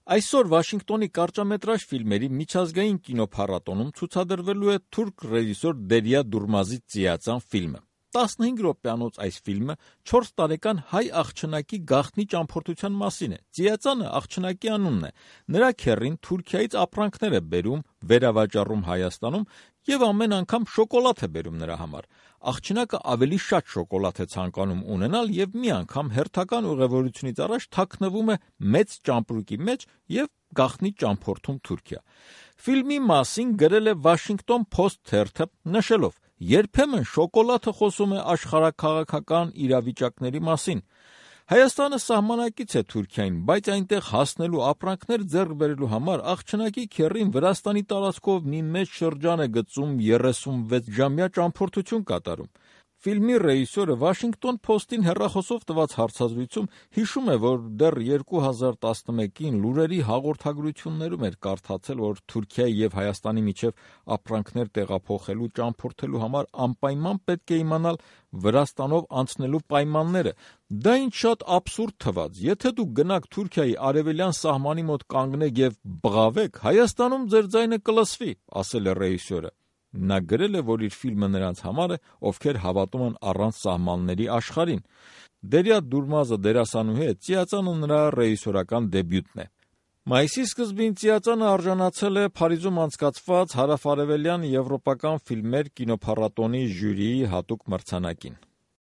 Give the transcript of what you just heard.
Այսօր Վաշինգտոնի կարճամետրաժ ֆիլմերի միջազգային կինոփառատոնում ցուցադրվելու է թուրք ռեժիսոր Դերիա Դուրմազի «Ծիածան» ֆիլմը։ 15 րոպեանոց այս ֆիլմը 4 տարեկան հայ աղջնակի գաղտնի ճամփորդության մասին է։ Ծիածանը աղջնակի անունն է։ Նրա քեռին Թուրքիայից ապրանքներ է բերում, վերավաճառում Հայաստանում եւ ամեն անգամ շոկոլադ է բերում նրա համար։ Աղջնակը ավելի շատ շոկոլադ է ցանկանում ունենալ եւ մի անգամ հերթական ուղևորությունից առաջ թաքնվում է մեծ ճամպրուկի մեջ եւ գաղտնի ճամփորդում Թուրքիա։ Ֆիլմի մասին գրել է Washington Post թերթը, նշելով. «Երբեմն շոկոլադը խոսում է աշխարհաքաղաքական իրավիճակների մասին։ Հայաստանը սահմանակից է Թուրքիային, բայց այնտեղ հասնելու ապրանքներ ձեռք բերելու համար աղջնակի քեռին Վրաստանի տարածքով մի մեծ շրջան է գծում 36-ժամյա ճամփորդություն կատարում»։ Ֆիլմի ռեժիսորը Washington Post-ին հեռախոսով տված հարցազրույցում հիշում է, որ դեռ 2011-ին լուրերի հաղորդագրություններում էր կարդացել, որ Թուրքիայի եւ Հայաստանի միջև ապրանքներ տեղափոխելու ճամփորդելու համար անպայման պետք է իմանալ Վրաստանով անցնելու պայմանները։ Դա ինչ շատ աբսուրդ թվաց։ Եթե դուք գնաք Թուրքիայի արևելյան սահմանի մոտ կանգնեք եւ բղավեք, Հայաստանում ձեր ձայնը կլսվի, ասել է ռեժիսորը։ Նա գրել է, որ իր ֆիլմը նրանց համար է, ովքեր հավատում են առանց սահմանների աշխարհին։ Դերիա Դուրմազը դերասանուհի է, Ծիածանը նրա ռեժիսորական դեբյուտն է։ Մայիսի սկզբին Ծիածանը արժանացել է Փարիզում անցկացված հարավարևելյան եվրոպական ֆիլմեր կինոփառատոնի ժյուրիի հատուկ մրցանակին։